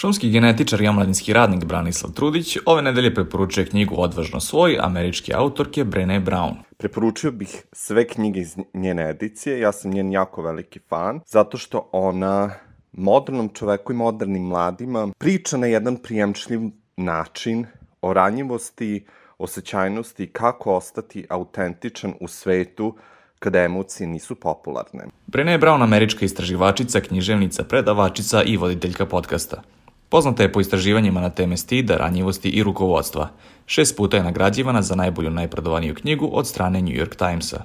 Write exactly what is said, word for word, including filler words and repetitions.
Šumski genetičar i omladinski radnik Branislav Trudić ove nedelje preporučuje knjigu Odvažno svoj američke autorke Brené Brown. Preporučio bih sve knjige iz njene edicije, ja sam njen jako veliki fan, zato što ona modernom čoveku i modernim mladima priča na jedan prijemčljiv način o ranjivosti, osjećajnosti i kako ostati autentičan u svetu kada emocije nisu popularne. Brené Brown, američka istraživačica, književnica, predavačica i voditeljka podcasta. Poznata je po istraživanjima na teme stida, ranjivosti i rukovodstva. Šest puta je nagrađivana za najbolju najprodavaniju knjigu od strane New York Timesa.